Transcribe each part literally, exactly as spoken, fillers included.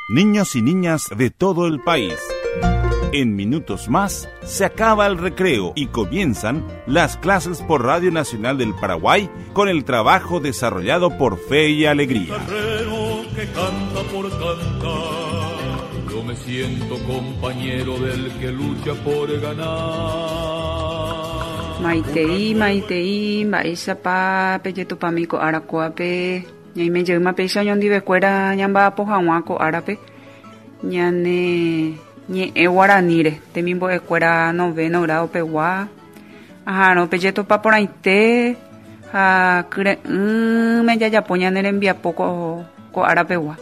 Niños y niñas de todo el país. En minutos más se acaba el recreo y comienzan las clases por Radio Nacional del Paraguay con el trabajo desarrollado por Fe y Alegría. Que canta por cantar. Yo me siento compañero del que lucha por ganar. Maitei, maitei, mba'éichapa pejetupami ko ára kóape ñaime jeýma péicha oñondivekuéra ñamba'apo hag̃ua ko árape ñane ñe'ẽ guaraníre temimbo'ekuéra noveno grado pegua aha'arõ pejetopa porãite ha kyre'ỹme jajapo ñane rembiapo ko ko ára pegua.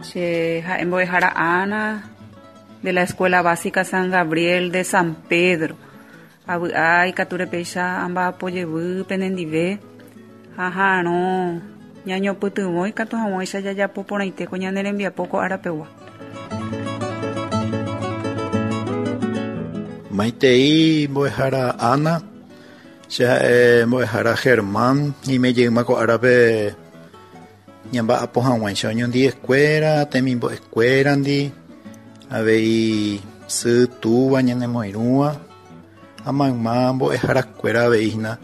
Che ha'e mbo'ehára Ana de la Escuela Básica San Gabriel de San Pedro. Avy'a ikatúre péicha amba'apo jevy penendive ha ha'arõ ñañopytyvõ ikatu hag̃uáicha jajapo porãite ko ñane rembiapo ko ára pegua. Maitei mbo'ehára Ana, che ha'e mbo'ehára Germán, ñaime jeýma ko árape ñamba'apo hag̃uáicha oñondiekuéra, temimbo'ekuérandi, avei sy túva ñanemoirũva ha mayma mbo'eharakuéra avei hína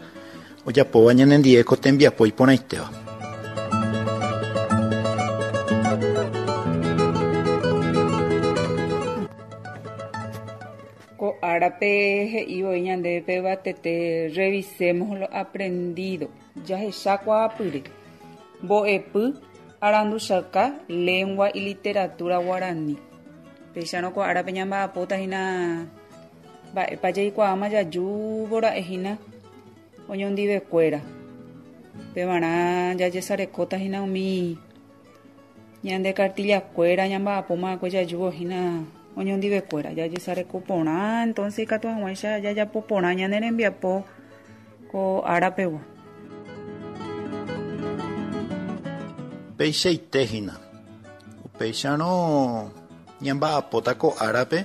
ojapóva ñanendie ko tembiapo iporãitéva. Ko árape he'i voi ñandéve pevatete revisemos lo aprendido jahechakuaapyre mbo'epy aranduchaka lengua y literatura guaraní. Péicharõ ko árape ñamba'apóta hína mba'épa jaikuaáma jajúvo ra'e hína oñondivekuéra pevarã jajesarekóta hína umi ñande cartillakuéra ñamba'apóma jajúvo hína oñondivekuéra jajesareko porã entonces ikatu hag̃uáicha jajapo porã ñane rembiapo ko ára pegua. Peichaite hína upéicharõ ñamba'apóta ko árape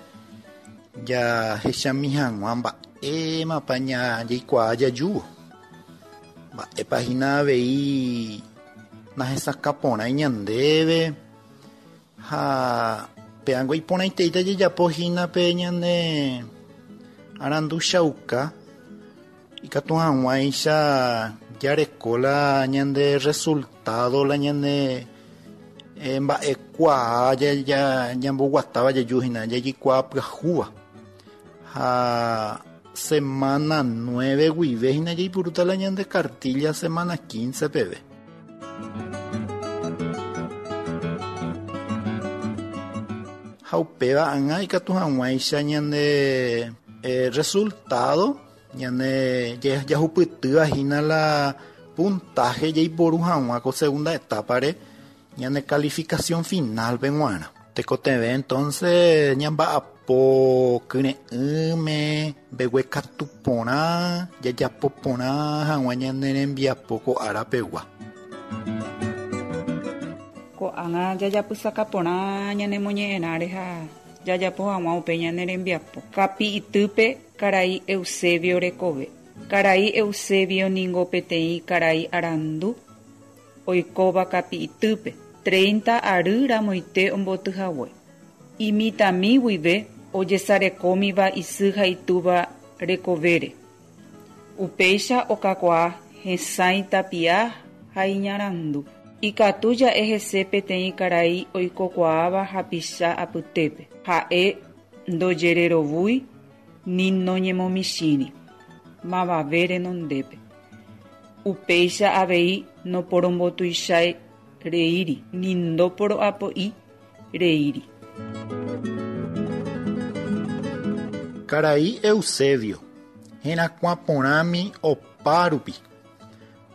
jahechami hag̃ua mba'émapa jaikuaa jajúvo mba'épa hína avei nahesakãporãi ñandéve ha pe'ango iporãiteíta jajapo hína pe ñane aranduchauka ikatu hag̃uáicha jareko la ñande resultado la ñane mba'ekuaa ñamboguatáva jaju hína jaikuaa pyahúva ha semana nueve guive hína jaipurúta la ñande cartilla semana quince peve. Ha upéva ág̃a ikatu hag̃uáicha ñande eh, resultado ñane jahupytýva hína la puntaje jaiporu hag̃ua ko segunda etapa-re ñane calificación final pe g̃uarã. Tekotevẽ entonces ñamba'apo kyre'ỹme mbeguekatu porã jajapo porã hag̃ua ñane rembiapo ko ára pegua. Ko'ág̃a jajapysaka porã ñanemoñe'ẽrãre ha jajapo hag̃ua upe ñane rembiapo. Kapi'itýpe karai Eusebio rekove. Karai Eusebio ningo peteĩ karai arandu oikóva kapi'itýpe treinta ary ramoite ombotyhague. Imitãmi guive ojesarekómiva isy ha itúva rekovére. Upéicha okakuaa hesãi tapia ha iñarandu. Ikatu ja'e hese peteĩ karai oikokuaáva hapicha apytépe. Ha'e ndojererovúi ni noñemomichĩri mavave renondépe. Upéicha avei noporombotuichái reíri ni ndoporo'apo'i reíri. Karai Eusebio herakuã porãmi opárupi.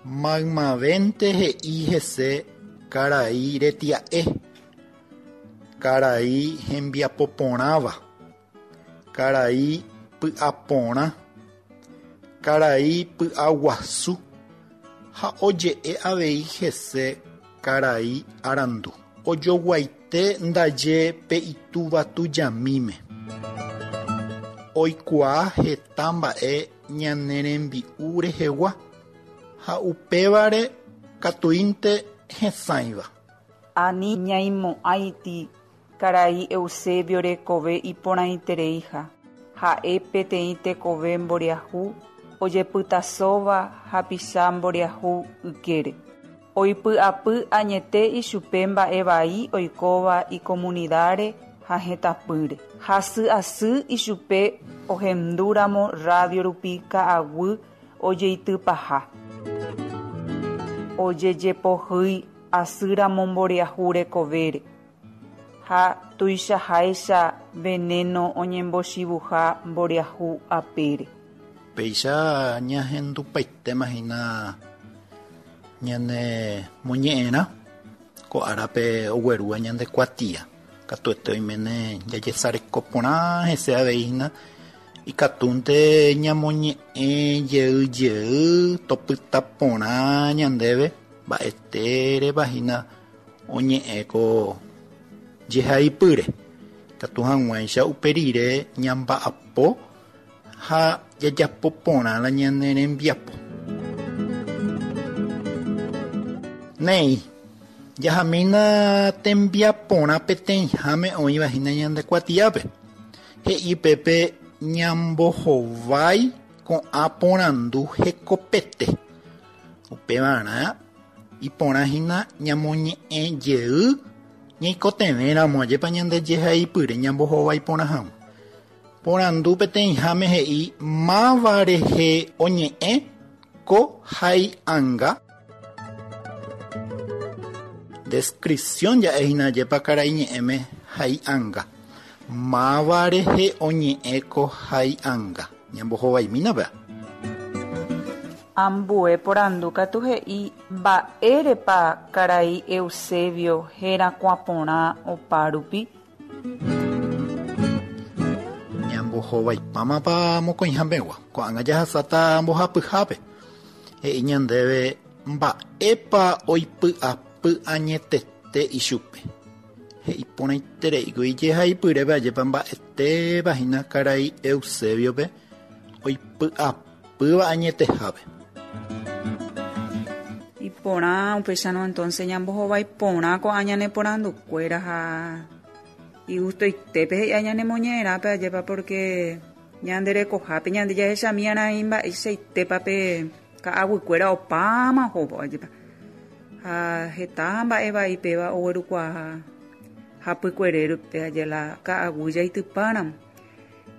Maymavénte he'i hese karai retia'e, karai hembiapoporãva, karai py'aporã, karai py'aguasu ha oje'e avei hese karai arandu. Ojoguaite ndaje pe itúva tujamíme. Oikuaa heta mba'e ñane rembi'u rehegua ha upévare Katuínte hesãiva. Ani ñaimo'ãiti karai Eusebio rekove iporãitereiha. Ha'e peteĩ tekove mboriahu ojepytasóva hapicha mboriahu ykére. Oipy'apy añete ichupe mba'e vai oikóva ikomunidáre ha hetãpýre. Hasy asy ichupe ohendúramo radio rupi ka'aguy ojeitypaha. Ojejepohýi asýramo mboriahu rekovére ha tuichaháicha veneno oñembochivuha mboriahu apére. Péicha ñahendupaitéma hína ñane moñe'ẽrã ko árape oguerúva ñande kuatia. Katuete oiméne jajesareko porã hese avei hína ikatúnte ñamoñe'ẽ jey jey topyta porã ñandéve mba'etérepa hína oñe'ẽ ko jehaipýre. Katu hag̃uáicha upe rire ñamba'apo ha jajapo porã la ñane rembiapo. Néi, jahamína tembiaporã peteĩháme oĩva hína ñande kuatiápe. He'i pépe ñambohovái ko'ã porandu hekopete. Upevarã iporã hína ñamoñe'ẽ jey ñaikotevẽramo ajépa ñande jehaipýre ñambohovái porã hag̃ua. Porandu peteĩháme he'i máva rehe oñe'ẽ ko hai'anga. Descripción ja'e hína ajépa karai ñe'ẽme hai'anga. Máva rehe oñe'ẽ ko hai'anga. Ñambohovaimína péa. Ambue porandu katu he'i mba'érepa karai Eusebio herakuã porã opárupi. Ñambohovaipámapa mokõihápegua. Ko'ág̃a jahasáta mbohapyhápe. He'i ñandéve mba'épa oipy'apy añetete ichupe. He'i porãitereíko ijehaipyrépe ajépa mba'etéva hína karai Eusebiope oipy'apýva añetehápe. Iporã upéicharõ entonces ñambohovái porã ko'ã ñane porandukuéra ha igustoitépe he'i ñanemoñe'ẽrãpe ajépa porque ñande rekohápe ñande jahechamiarã mba'eichaitépa pe ka'aguykuéra opáma ohóvo ajépa. Ha heta mba'e vaipéva oguerukuaa hapykuerérupe aje la ka'aguy jaitypáramo.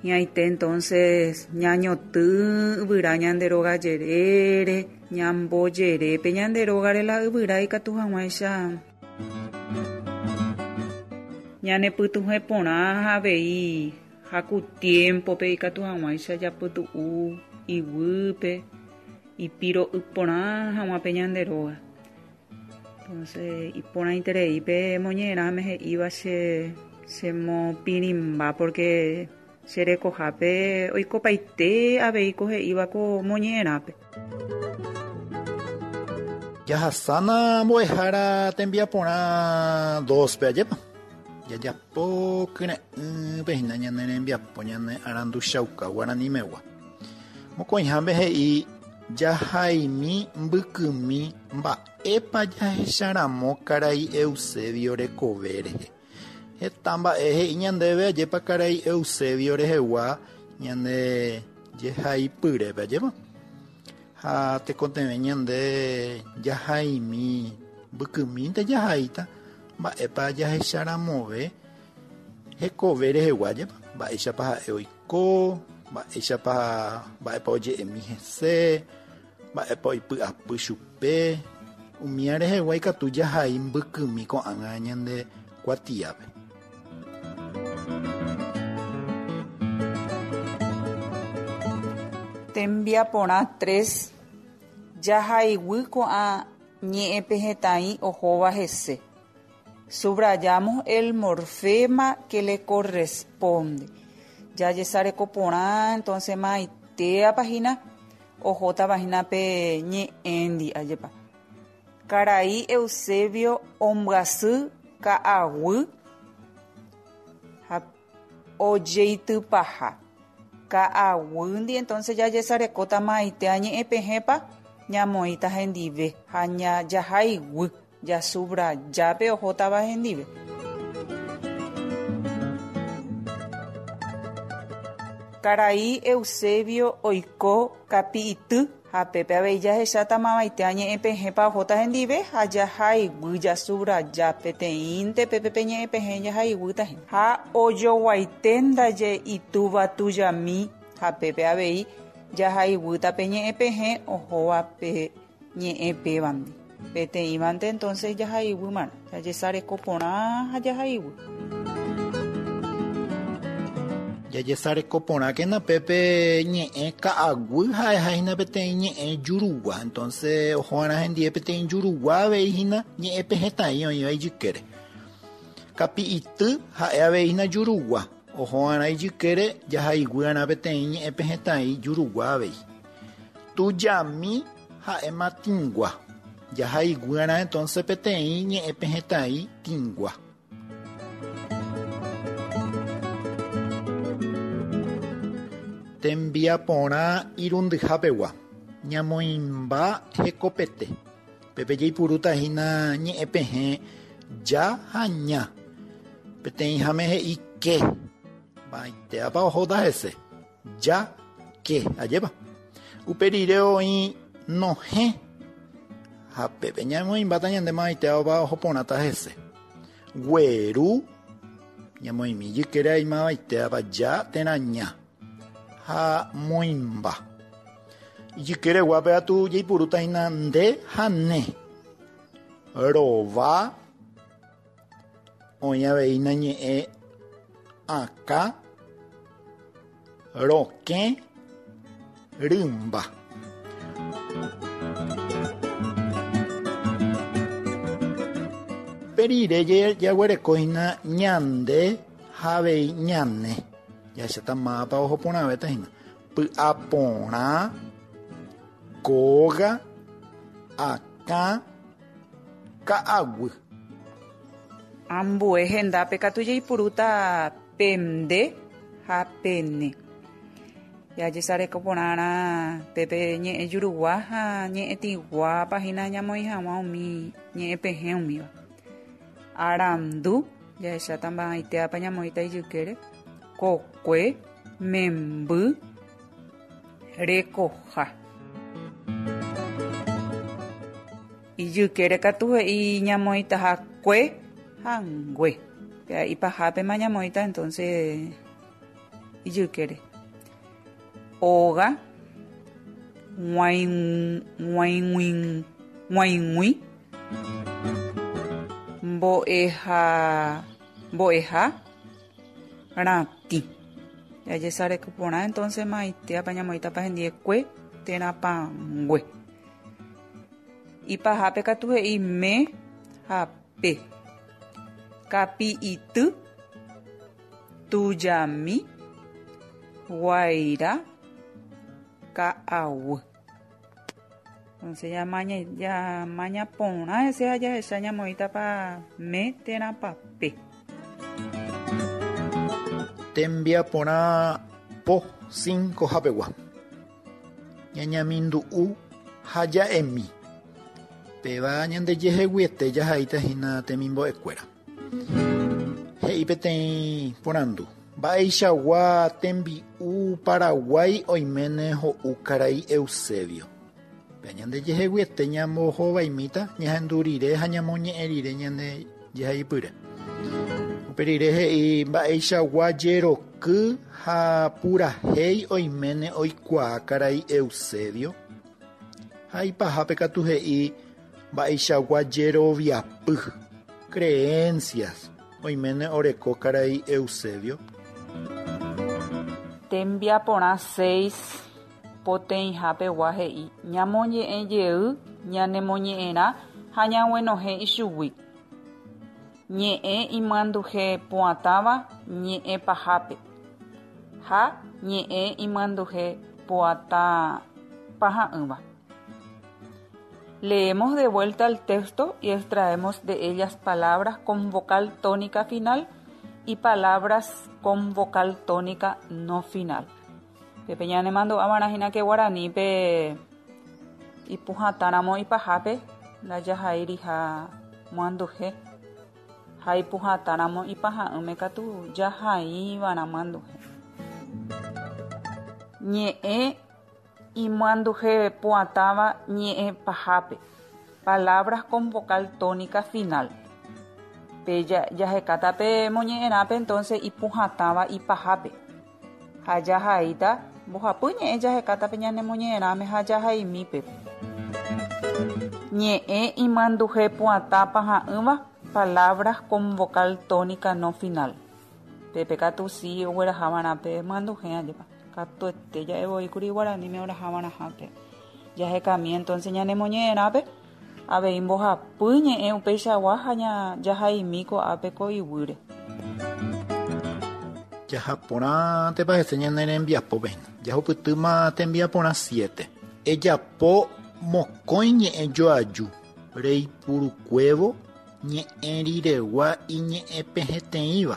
Ñaite entonces ñañoty yvyra ñande róga jerére, ñambojerépe ñande rógare la yvyra ikatu hag̃uáicha. Ñanepytuhẽ porã avei haku tiempope ikatu hag̃uáicha japytu'u iguýpe ipiro'y porã hag̃uápe ñande róga. Entonces iporãitereípe moñe'ẽrãme he'íva che chemopirĩmba porque che rekohápe oikopaite avei ko he'íva ko moñe'ẽrãpe. Jahasána mbo'ehára tembiaporã dospe ajépa. Jajapo kyre'ỹpe hína ñane rembiapo ñane aranduchauka guaranimegua. Mokõiháme he'i jahaimi mbykymi mba'épa jahecharamo karai Eusebio rekove rehe. Heta mba'e he'i ñandéve ajépa karai Eusebio rehegua ñande jehaipyrépe ajépa. Ha tekotevẽ ñande jahaimi mbykymínte jahaíta mba'épa jahecharamove hekove rehegua ajépa. Mba'éichapa ha'e oiko, mba'éichapa mba'épa oje'emi hese, mba'épa oipy'apy chupe. Umía rehegua ikatu jahai mbykymi ko'ág̃a ñande kuatiápe. Tembiaporã tres jahaiguy ko'ã ñe'ẽpe hetãi ohóva hese. Subrayamos el morfema que le corresponde. Jajesareko porã entonces maitéapa hína ohótava hína pe ñe'ẽndi ajépa. Karai Eusebio ombyasy ka'aguy ha ojeitypaha. Ka'aguýndi entonces jajesarekóta maitéa ñe'ẽpehẽpa ñamoĩta hendive ha jahaiguy jasubrajápe ohótava hendive. Karai Eusebio oiko kapi'ity ha pépe avei jahecháta mavaite añe'ẽpehẽpa ohóta hendive ha jahaiguy jasubraja peteĩnte pépe ñe'ẽpehẽ jahaiguýta hína. Ha ojoguaite ndaje itúva tujami ha pépe avei jahaiguýta pe ñe'ẽpehẽ ohóva pe ñe'ẽpévandi. Peteĩvante entonces jahaiguýmarõ jajesareko porã ha jahaiguy. Jajesareko porãkena pépe ñe'ẽ ka'aguy ha'ehahína peteĩ ñe'ẽ jurugua. Entonces oho'arã hendive peteĩ jurugua avei hína ñe'ẽpehẽtai oĩva ijykére. Kapi'ity ha'e avei hína jurugua. Oho'arã ijykére jahaiguýarã peteĩ ñe'ẽpehẽtai jurugua avei. Tujami ha'éma tĩgua. Jahaiguýarã entonces peteĩ ñe'ẽpehẽtai tĩgua. Tembiaporã irundyhápegua ñamoĩmba hekopete. Pépe jaipurúta hína ñe'ẽpehẽ ja ha ña. Peteĩháme he'i ke. Mba'eitépa ohóta hese. Ja, ke. Ajépa. Upe rire oĩ nohẽ. Ha pépe ñamoĩmbáta ñande mavaitéva oho porãta hese. Gueru. Ñamoĩmi jykére aimavaitéva ja térã ña. Ha moĩmba. Ijykereguápe atu jaipurúta hína nde ha ne. Rova. Oĩ avei hína ñe'ẽ akã. Rokẽ. Rymba. Upe rire jaguereko hína ñande ha avei ñane. Jahecháta mávapa oho porãvéta hína. Py'aporã, kóga, akã, ka'aguy. Ambue hendápe katu jaipurúta pende ha pene. Jajesareko porãrã pépe ñe'ẽ jurugua ha ñe'ẽtĩguápa hína ñamoĩ hag̃ua umi ñe'ẽpehẽ umíva. Arandu, jahecháta mba'eitépa ñamoĩta ijykére. Kokue, memby, rekoha. Ijykére katu he'i ñamoĩtaha kue ha ngue. Péa ipahápema ñamoĩta entonces ijykére. Óga, g̃uaig̃ui, g̃uaig̃ui, mbo'eha, mbo'eha, ratĩ. Jajesareko porã entonces maitéapa ñamoĩtapa hendive kue térã pangue. Ipahápe katu he'i me ha pe. Kapi'ity, tujami, guaira, ka'aguy. Entonces ñamaña, ñamaña porã hese ha jahecha ñamoĩtapa me térã pa pe. Tembiaporã po cinco hapegua. Ñañamindu'u ha ja'emi. Péva ñandejeheguiete jahaíta hína temimbo'ekuéra. He'i peteĩ porandu. Mba'eichagua tembi'u Paraguái oiméne ho'u karai Eusebio. Péa ñandejeheguiete ñambohovaimíta ñahendu rire ha ñamoñe'ẽ rire ñande jehaipyre. Upe rire he'i mba'eichagua jeroky ha purahéi oiméne oikuaa karai Eusebio. Ha ipahápe katu he'i mba'eichagua jeroviapy, creencias oiméne oreko karai Eusebio. Tembiaporã seis poteĩhápegua he'i ñamoñe'ẽ jey ñanemoñe'ẽrã ha ñaguenohẽ ichugui. Ñe'ẽ imyanduhe pu'atãva ñe'ẽ pahápe ha ñe'ẽ imyanduhe pu'atã paha'ỹva. Leemos de vuelta el texto y extraemos de ellas palabras con vocal tónica final y palabras con vocal tónica no final. Pepe ñane mando amarajina que guaraní pe Ipuhatãramo ipahápe ndajahairiha muanduhe ha ipuhatãramo ipaha'ỹme katu jahaiva'erã muanduhe. Ñe'ẽ imuanduhe pu'atãva ñe'ẽ pahápe. Palabras con vocal tónica final. Pe jahekáta pe moñe'ẽrãpe entonces ipuhatãva ipahápe. Ha jahaíta mbohapy ñe'ẽ jahekáta pe ñane moñe'ẽrãme ha jahaimípe. Ñe'ẽ imanduhe pu'atã paha'ỹva palabras con vocal tónica no final. Pepe katu si oguerahava'erã pe manduhe ajépa. Katuete ja'evoíkuri guaraníme orahava'erãhápe. Jahekami entonces ñane moñe'ẽrãpe avei mbohapy ñe'ẽ upeichagua ha jahaimi ko'ápe ko iguýre. Jahaporãntepa hese ñane rembiapópe. Jahupytýma tembiaporã siete. Ejapo mokõi ñe'ẽ joaju reipurukuévo ñe'ẽ riregua iñe'ẽpehẽteĩva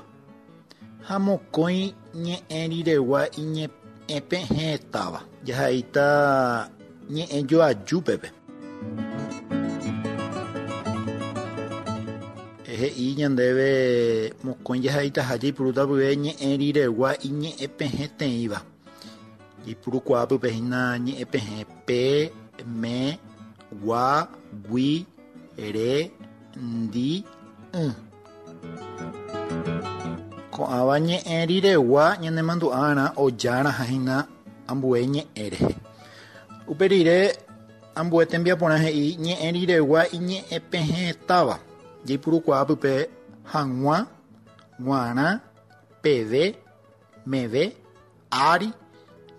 ha mokõi ñe'ẽ riregua iñe'ẽpehẽtáva. Jahaíta ñe'ẽ joajúpepe. He'i ñandéve mokõi jahaitaha jaipurúta pyve ñe'ẽ riregua iñe'ẽpehẽteĩva. Jaipurukuaápype hína ñe'ẽpehẽ pe, me, gua, gui, re, ndi, ỹ. Ko'ãva ñe'ẽ riregua ñanemandu'arã ojárãha hína ambue ñe'ẽ rehe. Upe rire ambue tembiaporã he'i ñe'ẽ riregua iñe'ẽpehẽtáva. Jaipurukuaápype hag̃ua, g̃uarã, peve, meve, ári,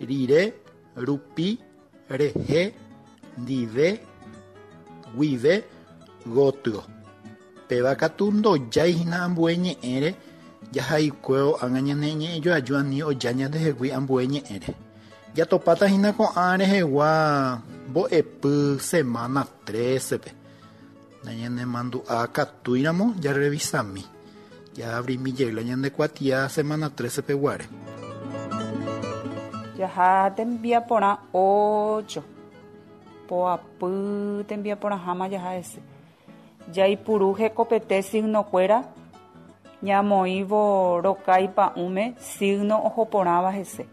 rire, rupi, rehe, ndive, guive, gotyo. Péva katu ndojái hína ambue ñe'ẽre jahaikuévo ág̃a ñane ñe'ẽ joaju ani oja ñandehegui ambue ñe'ẽre. Jatopáta hína ko'ã rehegua mbo'epy semana trece-pe. Ñanemandu'a katúiramo jarevisami. Jaabrimi jeyla ñande kuatia semana trece-pe guare. Jaha tembiaporã ocho. Poapy tembiaporãháma jaha hese. Jaipuru hekopete signokuéra ñamoĩvo rokái pa'ũme signo ohoporãva hese.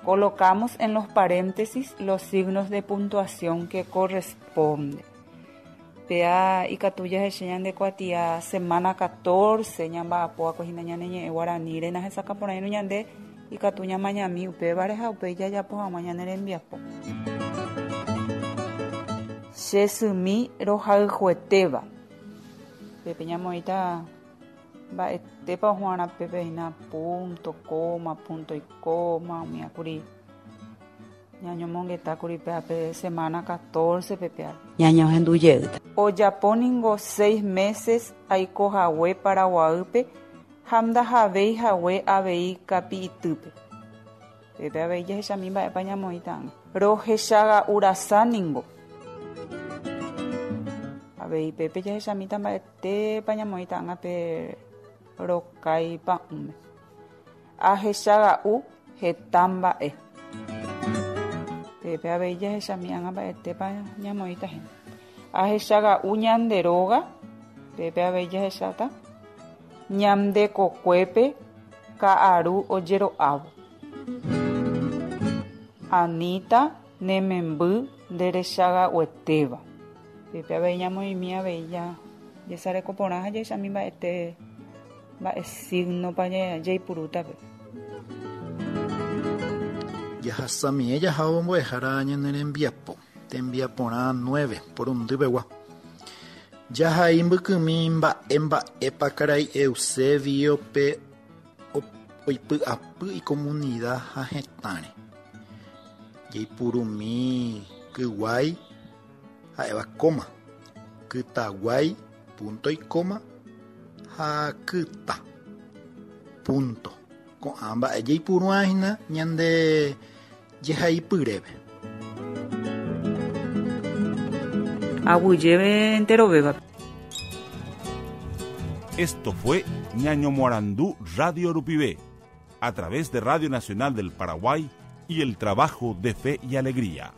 Colocamos en los paréntesis los signos de puntuación que corresponden. Pea ikatu jahecha ñande kuatia semana catorce ñamba'apóva hína ñane ñe'ẽ guaraníre nahesakãporãirõ ñande ikatu ñamañami upévare ha upéi jajapo hag̃ua ñane rembiapo. Che symi rohayhuetéva. Pépe ñamoĩta mba'etépa ohu'ãrã pépe hína punto, coma, punto y coma, umíakuri ñañomongetákuri péape semana catorce pepea. Ñañohendujeýta. Ojapo ningo seis meses aikohague Paraguaýpe ha ndahavéi hague avei kapi'itýpe. Pépe avei jahechami mba'épa ñamoĩta ág̃a. Rohechaga'urasa ningo. Avei pépe jahechamíta mba'etépa ñamoĩta ág̃a pe rokái pa'ũme. Ahechaga'u heta mba'e. Pépe avei jahechami ág̃a mba'etépa ñamoĩta hína. Ahechaga'u ñande róga, pépe avei jahecháta ñande kokuépe ka'aru ojero'ávo. Anita nememby nderechaga'uetéva. Pépe avei ñamoĩmi avei jesarekoporã ha jahechami mba'ete mba'e signopa jaipurútape. Jahasamie jahávo mbo'ehára ñane rembiapo. Tembiaporã nueve porundypegua. Jahai mbykymi mba'e mba'épa karai Eusebio-pe oipy'apy icomunidad ha hetãre. Jaipurumi kyguái ha'éva coma, kytaguái punto y coma ha kyta punto. Ko'ã mba'e jaipuru'ã hína ñande jehaipyrépe. Aguyjeve enterovéva. Esto fue Ñaño Morandú Radio Rupivé, a través de Radio Nacional del Paraguay y el trabajo de Fe y Alegría.